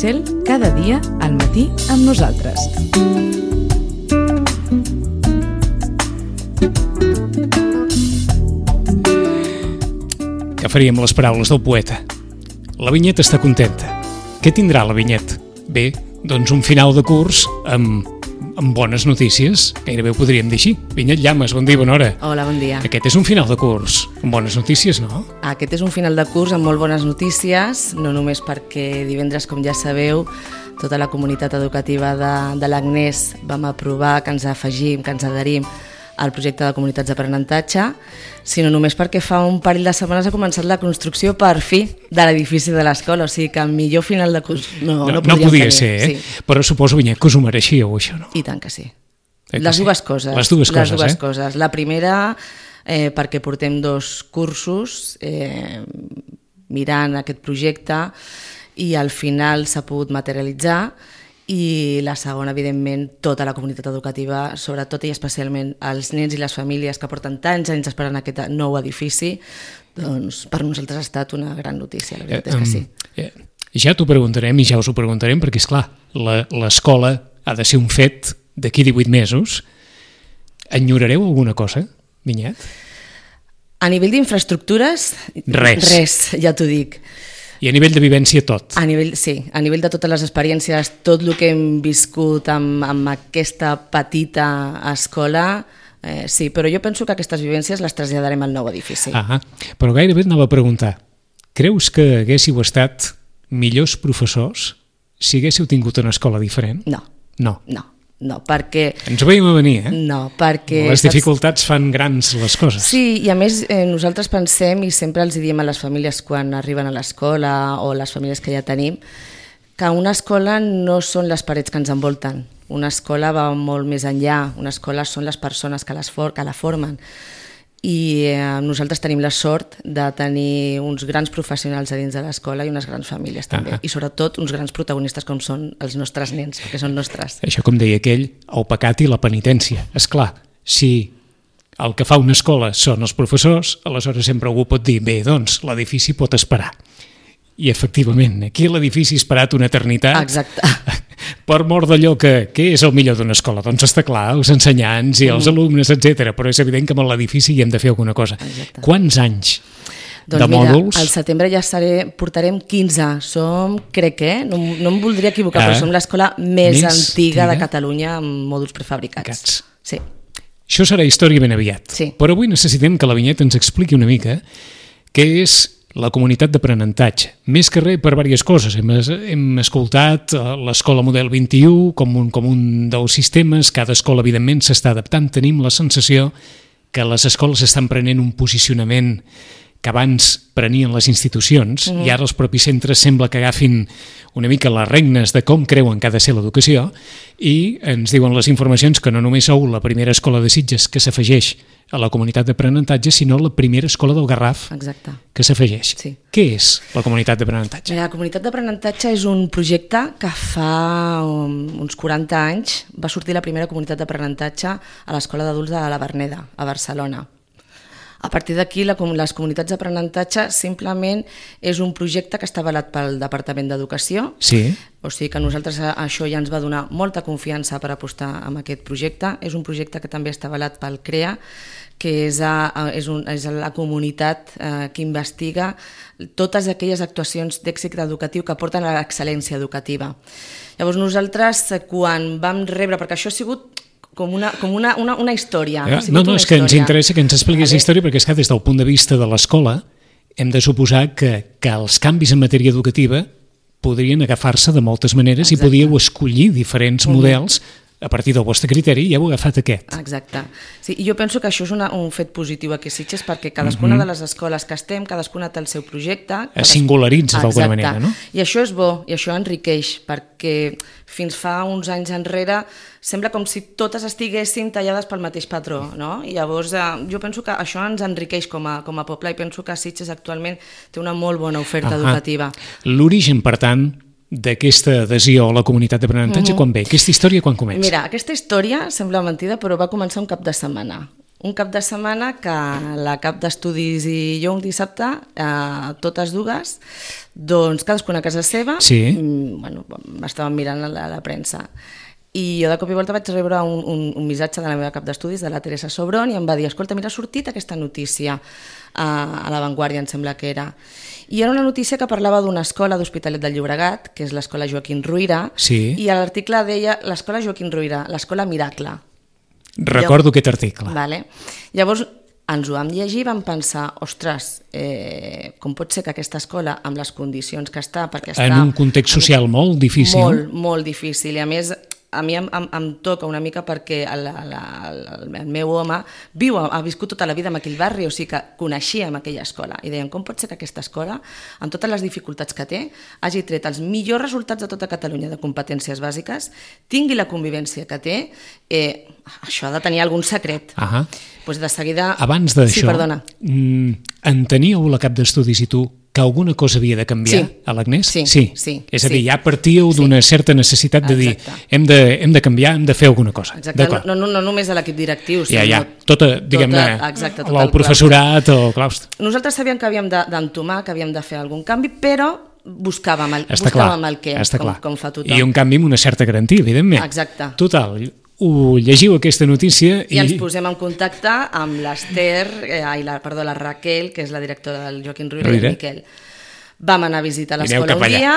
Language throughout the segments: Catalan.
Cel, cada dia al matí amb nosaltres. Que faríem les paraules del poeta. La Vinyet està contenta. Què tindrà la Vinyet? Bé, doncs un final de curs amb bones notícies, gairebé ho podríem dir així. Vinyet Llamas, bon dia, bona hora. Hola, bon dia. Aquest és un final de curs amb bones notícies, no? Aquest és un final de curs amb molt bones notícies, no només perquè divendres, com ja sabeu, tota la comunitat educativa de l'Agnès vam aprovar que ens afegim, que ens adherim al projecte de comunitats d'aprenentatge, sinó només perquè fa un parell de setmanes ha començat la construcció per fi de l'edifici de l'escola, o sigui que el millor final de curs no podia tenir. Ser, sí. Però suposo, Vinyet, que us ho mereixíeu, això, no? I tant que sí. Les dues coses. Les dues coses. La primera, perquè portem 2 cursos mirant aquest projecte i al final s'ha pogut materialitzar, i la segona, evidentment, tota la comunitat educativa, sobretot i especialment els nens i les famílies que porten tants anys esperant aquest nou edifici, doncs per nosaltres ha estat una gran notícia, la veritat és que sí. Ja t'ho preguntarem i ja us ho preguntarem, perquè, esclar, l'escola ha de ser un fet d'aquí 18 mesos. Enyorareu alguna cosa, Vinyet? A nivell d'infraestructures, res, ja t'ho dic. I a nivell de vivència tot? Sí, a nivell de totes les experiències, tot el que hem viscut amb aquesta petita escola, sí, però jo penso que aquestes vivències les traslladarem al nou edifici. Però gairebé et anava a preguntar, creus que haguéssiu estat millors professors si haguéssiu tingut una escola diferent? No, perquè... Ens ho veiem a venir, No, perquè... Les dificultats fan grans les coses. Sí, i a més nosaltres pensem, i sempre els diem a les famílies quan arriben a l'escola o les famílies que ja tenim, que una escola no són les parets que ens envolten. Una escola va molt més enllà. Una escola són les persones que la formen. I nosaltres tenim la sort de tenir uns grans professionals a dins de l'escola i unes grans famílies també, i sobretot uns grans protagonistes com són els nostres nens, que són nostres. Això, com deia aquell, el pecat i la penitència. És clar, si el que fa una escola són els professors, aleshores sempre algú pot dir, bé, doncs l'edifici pot esperar. I efectivament, aquí l'edifici ha esperat una eternitat. Exacte. Per mort d'allò que és el millor d'una escola. Doncs està clar, els ensenyants i els alumnes, etc. Però és evident que amb l'edifici hi hem de fer alguna cosa. Exacte. Quants anys de Mira, mòduls? al setembre ja portarem 15. Som, crec, no em voldria equivocar, però som l'escola més antiga de Catalunya amb mòduls prefabricats. Sí. Això serà història ben aviat. Sí. Però avui necessitem que la Vinyet ens expliqui una mica què és la comunitat d'aprenentatge. Més que res per diverses coses. Hem escoltat l'escola model 21 com un dels sistemes. Cada escola, evidentment, s'està adaptant. Tenim la sensació que les escoles estan prenent un posicionament que abans prenien les institucions, i ara els propis centres sembla que agafin una mica les regnes de com creuen que ha de ser l'educació, i ens diuen les informacions que no només sou la primera escola de Sitges que s'afegeix a la comunitat d'aprenentatge, sinó la primera escola del Garraf que s'afegeix. Sí. Què és la comunitat d'aprenentatge? La comunitat d'aprenentatge és un projecte que fa uns 40 anys va sortir la primera comunitat d'aprenentatge a l'Escola d'Adults de la Verneda, a Barcelona. A partir d'aquí, les comunitats d'aprenentatge simplement és un projecte que està avalat pel Departament d'Educació. Sí. O sigui que a nosaltres això ja ens va donar molta confiança per apostar en aquest projecte. És un projecte que també està avalat pel CREA, que és la comunitat que investiga totes aquelles actuacions d'èxit educatiu que porten a l'excel·lència educativa. Llavors nosaltres, quan vam rebre, perquè això ha sigut com una història. No, és que ens interessa que ens expliquis la història, perquè és que des del punt de vista de l'escola hem de suposar que els canvis en matèria educativa podrien agafar-se de moltes maneres. Exacte. I podíeu escollir diferents models a partir del vostre criteri, i heu agafat aquest. Exacte. Sí, i jo penso que això és un fet positiu aquí a Sitges, perquè cadascuna de les escoles que estem, cadascuna té el seu projecte. Es singularitza d'alguna manera, no? I això és bo, i això enriqueix, perquè fins fa uns anys enrere sembla com si totes estiguessin tallades pel mateix patró, no? I llavors jo penso que això ens enriqueix com a poble, i penso que Sitges actualment té una molt bona oferta educativa. L'origen, per tant, d'aquesta adhesió a la comunitat d'aprenentatge quan ve? Aquesta història quan comença? Mira, aquesta història sembla mentida, però va començar un cap de setmana. Un cap de setmana que la cap d'estudis i jo un dissabte, totes dues, doncs cadascuna a casa seva, estàvem mirant la premsa. I jo de cop i volta vaig rebre un missatge de la meva cap d'estudis, de la Teresa Sobron, i em va dir, escolta, mira, ha sortit aquesta notícia a La Vanguardia, em sembla que era. I era una notícia que parlava d'una escola d'Hospitalet del Llobregat, que és l'escola Joaquim Ruyra, i a l'article deia l'escola Joaquim Ruyra, l'escola Miracle. Recordo aquest article. Vale. Llavors ens ho vam llegir i vam pensar, ostres, com pot ser que aquesta escola, amb les condicions que està, perquè està... En un context social molt difícil. Molt, molt difícil, i a més... A mi em toca una mica perquè el meu home ha viscut tota la vida en aquell barri, o sigui que coneixíem aquella escola i deien, com pot ser que aquesta escola, amb totes les dificultats que té, hagi tret els millors resultats de tota Catalunya de competències bàsiques, tingui la convivència que té, això ha de tenir algun secret. Pues de seguida... Abans d'això, sí, perdona. Enteníeu la cap d'estudis i tu que alguna cosa havia de canviar a l'Agnès? Sí. És a dir, ja partíeu d'una certa necessitat de dir hem de canviar, hem de fer alguna cosa. Exacte, no només a l'equip directiu, sinó tota, diguem-ne, el professorat o claustre. Nosaltres sabíem que havíem d'entomar, que havíem de fer algun canvi, però buscàvem el què, com fa tothom. I un canvi amb una certa garantia, evidentment. Exacte. Total, ho llegiu aquesta notícia i ens posem en contacte amb l'Ester, la Raquel, que és la directora del Joaquim Ruyra, i el Miquel. Vam anar a visitar l'escola un dia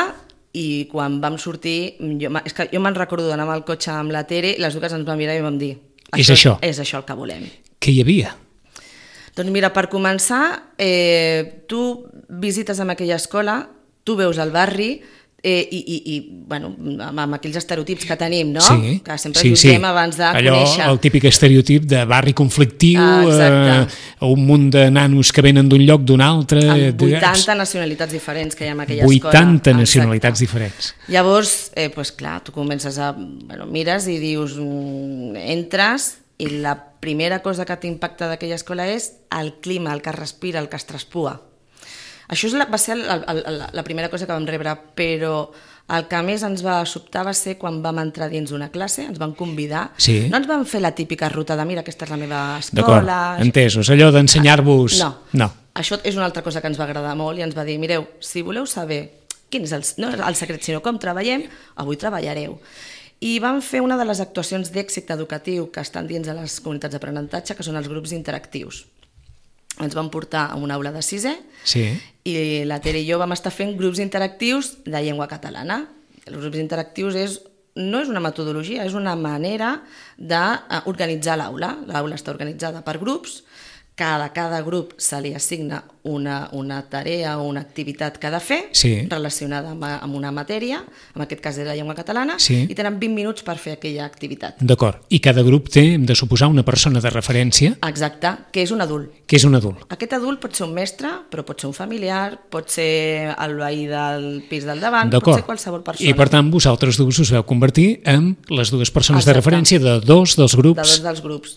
i quan vam sortir, és que jo me'n recordo d'anar amb el cotxe amb la Tere, les dues ens vam mirar i vam dir és això el que volem. Què hi havia? Doncs mira, per començar, tu visites amb aquella escola, tu veus el barri, amb aquells estereotips que tenim, no? Que sempre jutgem abans de conèixer. Allò, el típic estereotip de barri conflictiu, un munt de nanos que venen d'un lloc d'un altre... Amb 80 nacionalitats diferents que hi ha en aquella escola. 80 nacionalitats diferents. Llavors, clar, tu comences a... mires i dius, entres, i la primera cosa que t'impacta d'aquella escola és el clima, el que es respira, el que es traspua. Això va ser la primera cosa que vam rebre, però el que més ens va sobtar va ser quan vam entrar dins d'una classe, ens van convidar, no ens van fer la típica ruta de mira, aquesta és la meva escola... D'acord, entesos, allò d'ensenyar-vos... No, això és una altra cosa que ens va agradar molt i ens va dir, mireu, si voleu saber quin és no el secret, sinó com treballem, avui treballareu. I vam fer una de les actuacions d'èxit educatiu que estan dins de les comunitats d'aprenentatge, que són els grups interactius. Ens vam portar a una aula de 6è i la Tere i jo vam estar fent grups interactius de llengua catalana. Els grups interactius no és una metodologia, és una manera d'organitzar l'aula. L'aula està organitzada per grups, cada grup se li assigna una tarea o una activitat que ha de fer relacionada amb una matèria, en aquest cas és la llengua catalana, i tenen 20 minuts per fer aquella activitat. D'acord, i cada grup té, hem de suposar, una persona de referència. Exacte, que és un adult. Que és un adult. Aquest adult pot ser un mestre, però pot ser un familiar, pot ser el veí del pis del davant, pot ser qualsevol persona. I per tant vosaltres dues us veu convertir en les dues persones de referència de dos dels grups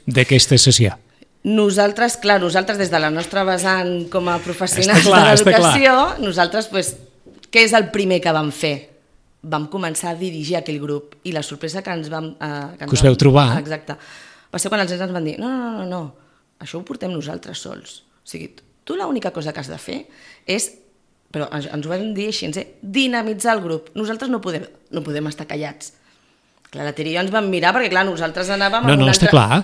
d'aquesta sessió. Nosaltres des de la nostra vessant com a professionals de l'educació, nosaltres, què és el primer que vam fer? Vam començar a dirigir aquell grup i la sorpresa que ens vam... que us veu trobar. Exacte. Va ser quan els nens ens van dir no, això ho portem nosaltres sols. O sigui, tu l'única cosa que has de fer és, però ens ho vam dir així, dinamitzar el grup. Nosaltres no podem estar callats. Clar, la Tere i jo ens vam mirar perquè, clar, nosaltres anàvem... No, està clar,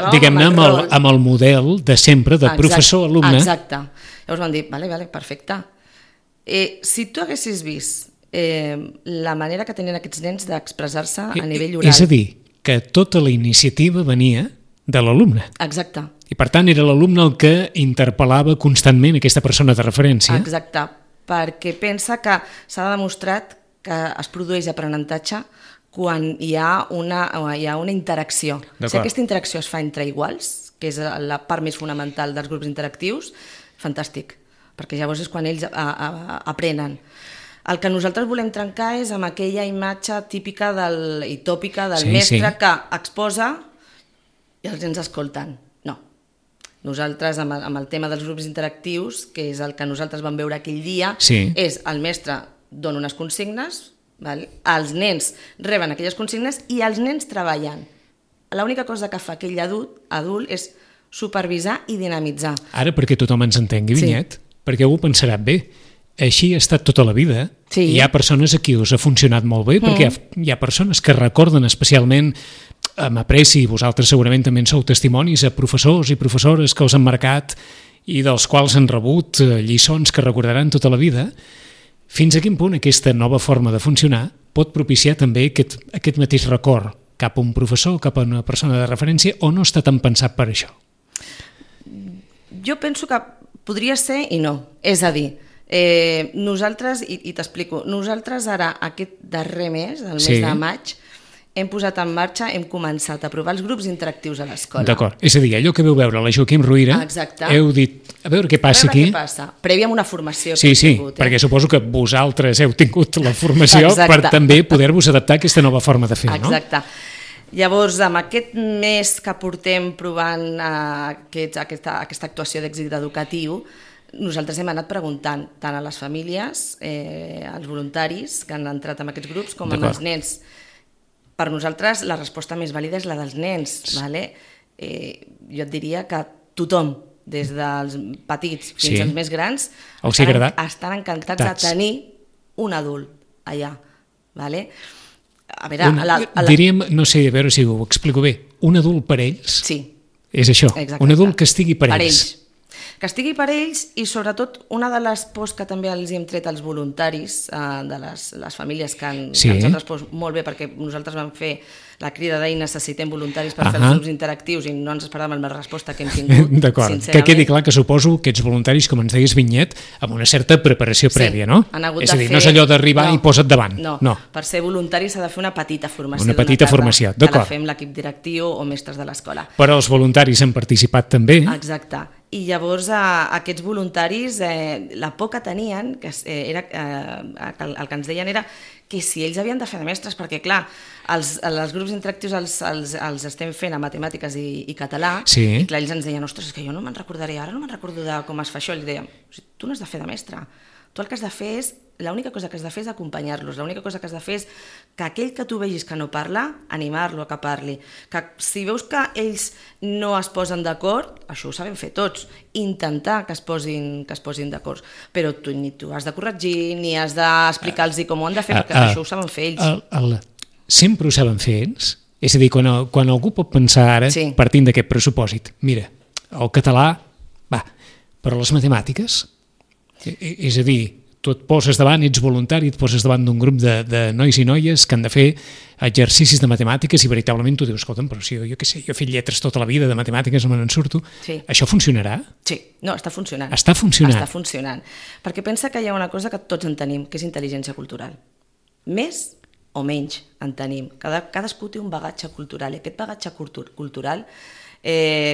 diguem-ne, amb el model de sempre, de professor-alumne. Exacte. Llavors vam dir, vale, perfecte. Si tu haguessis vist la manera que tenien aquests nens d'expressar-se a nivell oral... És a dir, que tota la iniciativa venia de l'alumne. Exacte. I per tant era l'alumne el que interpel·lava constantment aquesta persona de referència. Exacte, perquè pensa que s'ha demostrat que es produeix aprenentatge quan hi ha una interacció. Si aquesta interacció es fa entre iguals, que és la part més fonamental dels grups interactius, fantàstic, perquè llavors és quan ells aprenen. El que nosaltres volem trencar és amb aquella imatge típica i tòpica del mestre que exposa i els nens escolten. No. Nosaltres, amb el tema dels grups interactius, que és el que nosaltres vam veure aquell dia, és el mestre dona unes consignes, els nens reben aquelles consignes i els nens treballen. L'única cosa que fa aquell adult és supervisar i dinamitzar. Ara, perquè tothom ens entengui, Vinyet, perquè algú pensarà, bé, així ha estat tota la vida, i hi ha persones a qui us ha funcionat molt bé, perquè hi ha persones que recorden especialment, amb apreci, vosaltres segurament també en sou testimonis, a professors i professores que us han marcat i dels quals han rebut lliçons que recordaran tota la vida. Fins a quin punt aquesta nova forma de funcionar pot propiciar també aquest mateix record cap a un professor, cap a una persona de referència, o no està tan pensat per això? Jo penso que podria ser i no. És a dir, nosaltres, i t'explico, nosaltres ara aquest darrer mes, el mes de maig, hem posat en marxa, hem començat a provar els grups interactius a l'escola. D'acord, és a dir, allò que veu veure la Joaquim Ruïra, heu dit, a veure què passa aquí. A veure què passa, previ a una formació que hem tingut. Sí, perquè suposo que vosaltres heu tingut la formació per també poder-vos adaptar a aquesta nova forma de fer, no? Exacte. Llavors, amb aquest mes que portem provant aquesta actuació d'èxit educatiu, nosaltres hem anat preguntant tant a les famílies, als voluntaris que han entrat en aquests grups, com als nens. Per nosaltres, la resposta més vàlida és la dels nens. Jo et diria que tothom, des dels petits fins als més grans, estan encantats de tenir un adult allà. A veure, diríem, no sé, a veure si ho explico bé, un adult per ells? Sí. És això, un adult que estigui per ells. Que estigui per ells, i sobretot una de les pors que també els hem tret als voluntaris de les famílies que ens han respost molt bé, perquè nosaltres vam fer la crida d'ahir, necessitem voluntaris per fer els grups interactius, i no ens esperàvem la resposta que hem tingut. D'acord, que quedi clar que suposo que ets voluntaris, com ens deies, Vinyet, amb una certa preparació prèvia, no? És a dir, no és allò d'arribar i posa't davant. No, per ser voluntari s'ha de fer una petita formació. Una petita formació, d'acord. Que la fem l'equip directiu o mestres de l'escola. Però els voluntaris han participat també. Exacte. I llavors aquests voluntaris, la por que tenien, el que ens deien era que si ells havien de fer de mestres, perquè clar, els grups interactius els estem fent a matemàtiques i català, i clar, ells ens deien, ostres, és que jo no me'n recordaré, ara no me'n recordo de com es fa això, i li dèiem, tu no has de fer de mestre, tu el que has de fer és, l'única cosa que has de fer és acompanyar-los, l'única cosa que has de fer és que aquell que tu vegis que no parla, animar-lo a que parli, que si veus que ells no es posen d'acord, això ho sabem fer tots, intentar que es posin d'acord, però tu ni tu has de corregir, ni has d'explicar-los com ho han de fer, perquè això ho saben fer ells. Sempre ho saben fer ells? És a dir, quan algú pot pensar ara, partint d'aquest pressupòsit, mira, el català, va, però les matemàtiques, és a dir, tu et poses davant, ets voluntari, et poses davant d'un grup de nois i noies que han de fer exercicis de matemàtiques i veritablement tu dius, escolta'm, però si jo què sé, jo he fet lletres tota la vida, de matemàtiques no me n'en surto, això funcionarà? Sí, no, està funcionant. Està funcionant? Està funcionant, perquè pensa que hi ha una cosa que tots en tenim, que és intel·ligència cultural. Més o menys en tenim. Cadascú té un bagatge cultural, i aquest bagatge cultural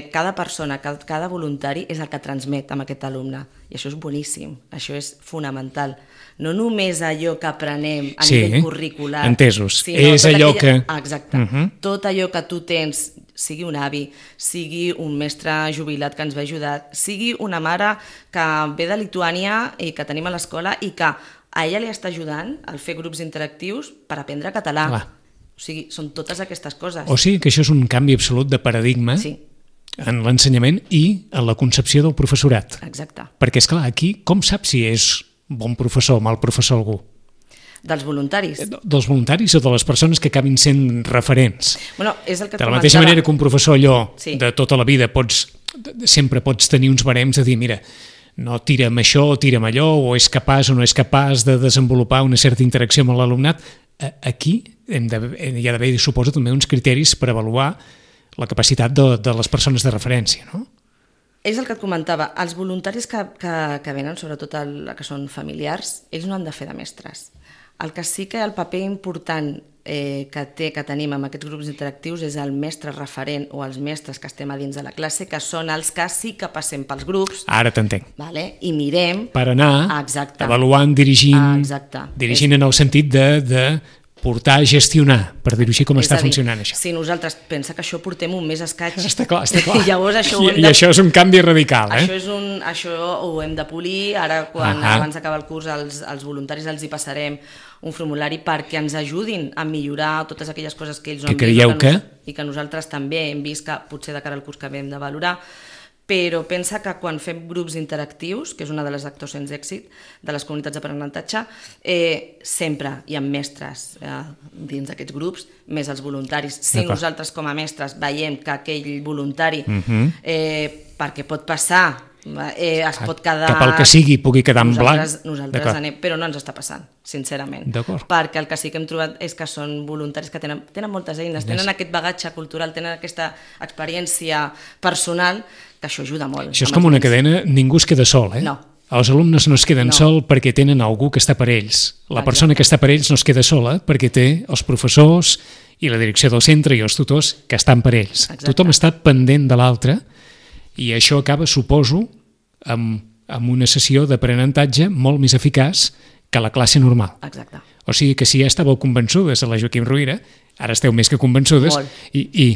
cada persona, cada voluntari és el que transmet amb aquest alumne, i això és boníssim, això és fonamental. No només allò que aprenem a nivell curricular, entesos, és allò que... Exacte, tot allò que tu tens, sigui un avi, sigui un mestre jubilat que ens va ajudar, sigui una mare que ve de Lituània i que tenim a l'escola i que a ella li està ajudant a fer grups interactius per aprendre català. O sigui, són totes aquestes coses. O sigui que això és un canvi absolut de paradigma en l'ensenyament i en la concepció del professorat. Exacte. Perquè, esclar, aquí com saps si és bon professor o mal professor algú? Dels voluntaris. Dels voluntaris o de les persones que acabin sent referents. Bueno, és el que de la mateixa manera que un professor allò de tota la vida sempre pots tenir uns barems de dir, mira, no tira'm això o tira'm allò, o és capaç o no és capaç de desenvolupar una certa interacció amb l'alumnat. Aquí hi ha d'haver, suposo, també uns criteris per avaluar la capacitat de les persones de referència, no? És el que et comentava, els voluntaris que venen, sobretot que són familiars, ells no han de fer de mestres. El que sí que el paper important que tenim amb aquests grups interactius és el mestre referent o els mestres que estem a dins de la classe, que són els que sí que passem pels grups. Ara t'entenc. I mirem... Per anar avaluant, dirigint en el sentit de portar a gestionar, per dir-ho així, com està funcionant això. Si nosaltres pensa que això portem un mes escaig... Està clar. I llavors això I això és un canvi radical, Això ho hem de polir, ara abans d'acabar el curs als voluntaris els hi passarem un formulari perquè ens ajudin a millorar totes aquelles coses que ells no han vist i que nosaltres també hem vist que potser de cara al curs que hem de valorar. Però pensa que quan fem grups interactius, que és una de les actuacions d'èxit de les comunitats d'aprenentatge, sempre hi ha mestres dins d'aquests grups, més els voluntaris. Si nosaltres com a mestres veiem que aquell voluntari, perquè pot passar, es pot quedar... Que pel que sigui pugui quedar en blanc. Nosaltres anem, però no ens està passant, sincerament. Perquè el que sí que hem trobat és que són voluntaris que tenen moltes eines, tenen aquest bagatge cultural, tenen aquesta experiència personal, que això ajuda molt. Això és com una cadena, ningú es queda sol, No. Els alumnes no es queden sol perquè tenen algú que està per ells. La persona que està per ells no es queda sola perquè té els professors i la direcció del centre i els tutors que estan per ells. Tothom està pendent de l'altre i això acaba, suposo, amb una sessió d'aprenentatge molt més eficaç que la classe normal. Exacte. O sigui que si ja estàveu convençudes a la Joaquim Rovira, ara esteu més que convençudes i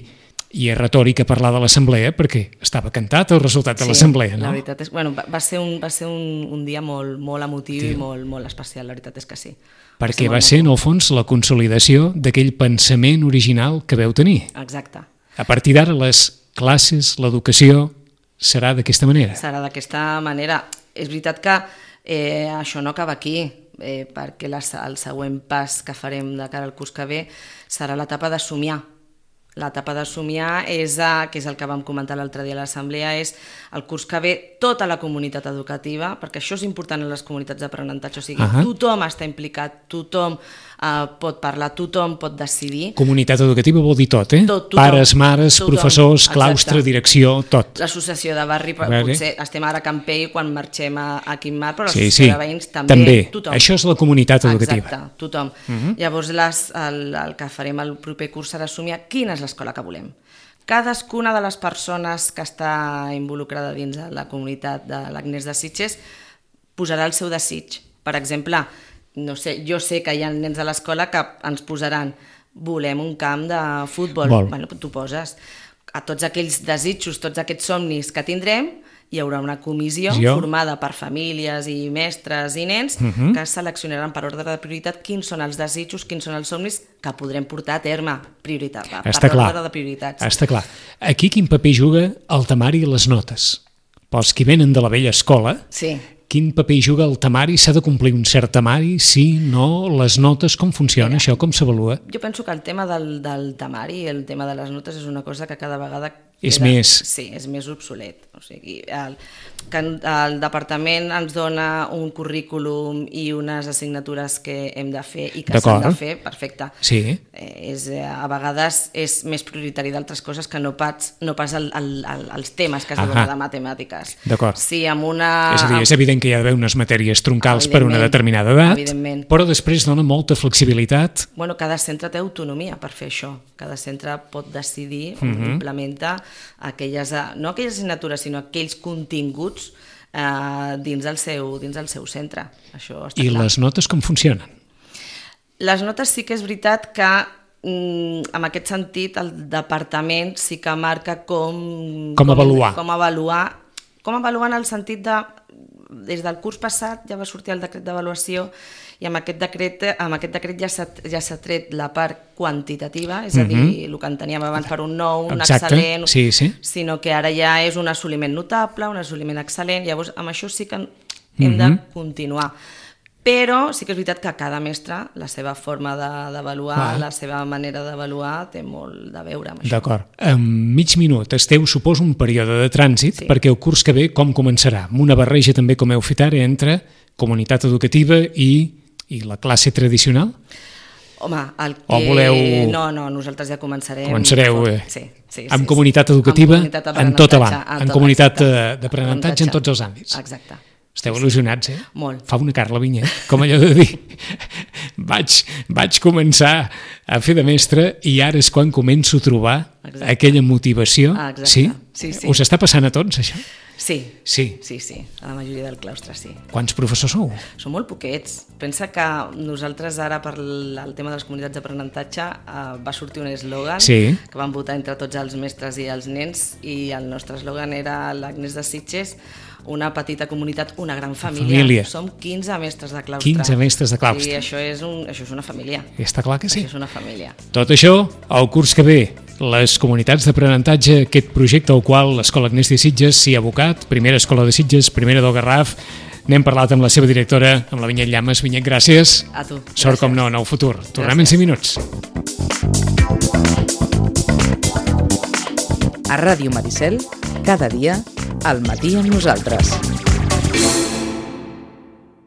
és retòrica parlar de l'assemblea perquè estava cantat el resultat de l'assemblea, no? La veritat és... Bueno, va ser un dia molt emotiu i molt especial, la veritat és que sí. Perquè va ser, en el fons, la consolidació d'aquell pensament original que veu tenir. Exacte. A partir d'ara, les classes, l'educació, serà d'aquesta manera. Serà d'aquesta manera. És veritat que això no acaba aquí, perquè el següent pas que farem de cara al curs que ve serà l'etapa de somiar. L'etapa de somiar és, que és el que vam comentar l'altre dia a l'assemblea, és el curs que ve tota la comunitat educativa, perquè això és important en les comunitats d'aprenentatge, o sigui, tothom està implicat, tothom pot parlar, tothom pot decidir. Comunitat educativa vol dir tot, Pares, mares, professors, claustre, direcció, tot. L'associació de barri, potser estem ara a Campell quan marxem a Quimar, però l'associació de veïns també. Tothom. Això és la comunitat educativa. Exacte, tothom. Llavors el que farem el proper curs serà somiar quina és l'escola que volem. Cadascuna de les persones que està involucrada dins de la comunitat de l'Agnès de Sitges posarà el seu desig. Per exemple, no sé, jo sé que hi ha nens de l'escola que ens posaran volem un camp de futbol. Bueno, tu poses a tots aquells desitjos, tots aquests somnis que tindrem, hi haurà una comissió formada per famílies i mestres i nens que seleccionaran per ordre de prioritat quins són els desitjos, quins són els somnis que podrem portar a terme per ordre de prioritats. Està clar. Aquí quin paper juga el temari i les notes? Pels que venen de la vella escola, quin paper juga el temari? S'ha de complir un cert temari? Sí, no? Les notes, com funciona això? Com s'avalua? Jo penso que el tema del temari i el tema de les notes és una cosa que cada vegada és més... Sí, és més obsolet. O sigui, el departament ens dona un currículum i unes assignatures que hem de fer i que s'han de fer, perfecte. Sí. A vegades és més prioritari d'altres coses que no pas els temes que es diuen de matemàtiques. D'acord. Sí, amb una... És a dir, és evident que hi ha d'haver unes matèries troncals per una determinada edat, però després dona molta flexibilitat. Bueno, cada centre té autonomia per fer això. Cada centre pot decidir implementar no aquelles assignatures, sinó aquells continguts dins el seu centre. Això està clar. I les notes com funcionen? Les notes sí que és veritat que en aquest sentit el departament sí que marca com avaluar. Com avaluar en el sentit de des del curs passat ja va sortir el decret d'avaluació i amb aquest decret ja s'ha tret la part quantitativa, és a dir, el que en teníem abans per un 9, un excel·lent, sinó que ara ja és un assoliment notable, un assoliment excel·lent, llavors amb això sí que hem de continuar. Però sí que és veritat que cada mestre, la seva forma d'avaluar, la seva manera d'avaluar, té molt de veure amb això. D'acord. En mig minut esteu, suposo, un període de trànsit, perquè el curs que ve com començarà? Amb una barreja també, com heu fet ara, entre comunitat educativa i la classe tradicional? Home, No, nosaltres ja començarem... Començareu amb comunitat educativa en tot avant, en comunitat d'aprenentatge en tots els àmbits. Exacte. Esteu il·lusionats, Molt. Fa una Carla Vinyet, com allò de dir, vaig començar a fer de mestre i ara és quan començo a trobar aquella motivació. Sí? Us està passant a tots, això? Sí, Sí. a la majoria del claustre, sí. Quants professors sou? Són molt poquets. Pensa que nosaltres ara per el tema de les comunitats d'aprenentatge va sortir un eslògan que vam votar entre tots els mestres i els nens, i el nostre eslògan era l'Agnès de Sitges, una petita comunitat, una gran família. Som 15 mestres de claustre. 15 mestres de claustre. I això és una família. Està clar que sí. Això és una família. Tot això, el curs que ve, les comunitats d'aprenentatge, aquest projecte al qual l'Escola Agnès de Sitges s'hi ha abocat, primera escola de Sitges, primera del Garraf. N'hem parlat amb la seva directora, amb la Vinyet Llamas. Vinyet, gràcies. A tu. Sort, com no, en el futur. Tornem en 5 minuts. A Ràdio Maricel, cada dia, al matí amb nosaltres.